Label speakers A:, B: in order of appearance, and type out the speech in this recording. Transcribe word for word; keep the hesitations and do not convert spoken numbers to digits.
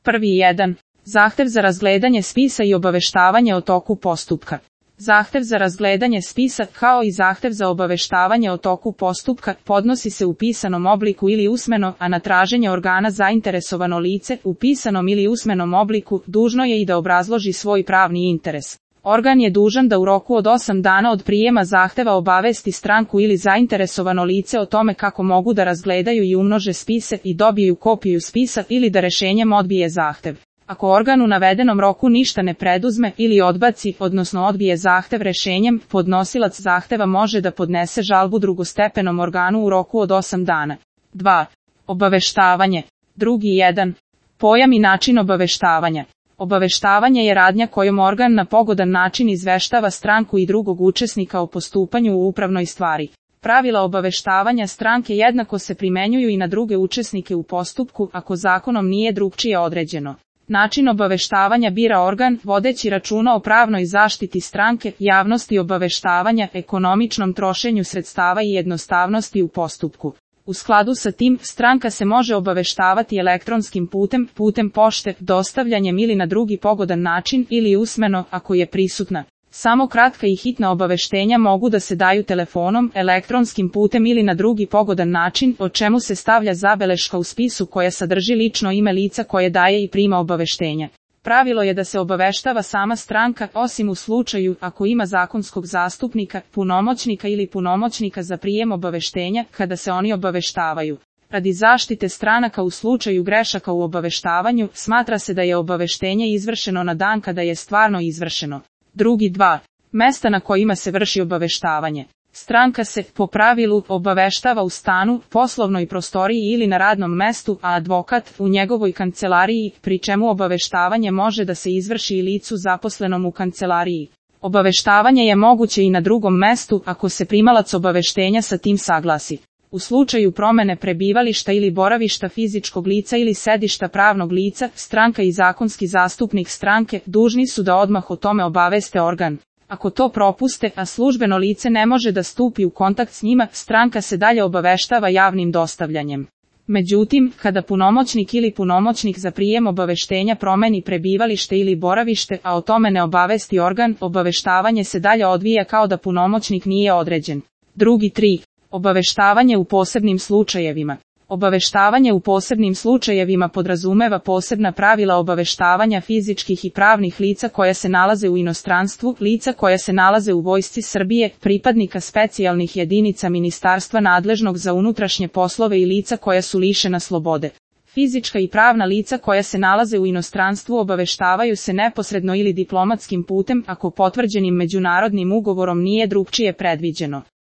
A: Prvi jedan. Zahtev za razgledanje spisa i obaveštavanje o toku postupka. Zahtev za razgledanje spisa, kao i zahtev za obaveštavanje o toku postupka, podnosi se u pisanom obliku ili usmeno, a na traženje organa zainteresovano lice, u pisanom ili usmenom obliku, dužno je i da obrazloži svoj pravni interes. Organ je dužan da u roku od osam dana od prijema zahteva obavesti stranku ili zainteresovano lice o tome kako mogu da razgledaju i umnože spise i dobiju kopiju spisa ili da rešenjem odbije zahtev. Ako organ u navedenom roku ništa ne preduzme ili odbaci, odnosno odbije zahtev rešenjem, podnosilac zahteva može da podnese žalbu drugostepenom organu u roku od osam dana. dva. Obaveštavanje. Drugi jedan. Pojam i način obaveštavanja. Obaveštavanje je radnja kojom organ na pogodan način izveštava stranku i drugog učesnika o postupanju u upravnoj stvari. Pravila obaveštavanja stranke jednako se primenjuju i na druge učesnike u postupku, ako zakonom nije drugčije određeno. Način obaveštavanja bira organ, vodeći računa o pravnoj zaštiti stranke, javnosti obaveštavanja, ekonomičnom trošenju sredstava i jednostavnosti u postupku. U skladu sa tim, stranka se može obaveštavati elektronskim putem, putem pošte, dostavljanjem ili na drugi pogodan način ili usmeno, ako je prisutna. Samo kratka i hitna obaveštenja mogu da se daju telefonom, elektronskim putem ili na drugi pogodan način, o čemu se stavlja zabeleška u spisu koja sadrži lično ime lica koje daje i prima obaveštenja. Pravilo je da se obaveštava sama stranka, osim u slučaju ako ima zakonskog zastupnika, punomoćnika ili punomoćnika za prijem obaveštenja, kada se oni obaveštavaju. Radi zaštite stranaka u slučaju grešaka u obaveštavanju, smatra se da je obaveštenje izvršeno na dan kada je stvarno izvršeno. Drugi dva. Mesta na kojima se vrši obaveštavanje. Stranka se, po pravilu, obaveštava u stanu, poslovnoj prostoriji ili na radnom mestu, a advokat u njegovoj kancelariji, pri čemu obaveštavanje može da se izvrši i licu zaposlenom u kancelariji. Obaveštavanje je moguće i na drugom mestu, ako se primalac obaveštenja sa tim saglasi. U slučaju promene prebivališta ili boravišta fizičkog lica ili sedišta pravnog lica, stranka i zakonski zastupnik stranke dužni su da odmah o tome obaveste organ. Ako to propuste, a službeno lice ne može da stupi u kontakt s njima, stranka se dalje obaveštava javnim dostavljanjem. Međutim, kada punomoćnik ili punomoćnik za prijem obaveštenja promeni prebivalište ili boravište, a o tome ne obavesti organ, obaveštavanje se dalje odvija kao da punomoćnik nije određen. Drugi tri. Obaveštavanje u posebnim slučajevima. Obaveštavanje u posebnim slučajevima podrazumeva posebna pravila obaveštavanja fizičkih i pravnih lica koja se nalaze u inostranstvu, lica koja se nalaze u Vojsci Srbije, pripadnika specijalnih jedinica ministarstva nadležnog za unutrašnje poslove i lica koja su lišena slobode. Fizička i pravna lica koja se nalaze u inostranstvu obaveštavaju se neposredno ili diplomatskim putem, ako potvrđenim međunarodnim ugovorom nije drugčije predviđeno.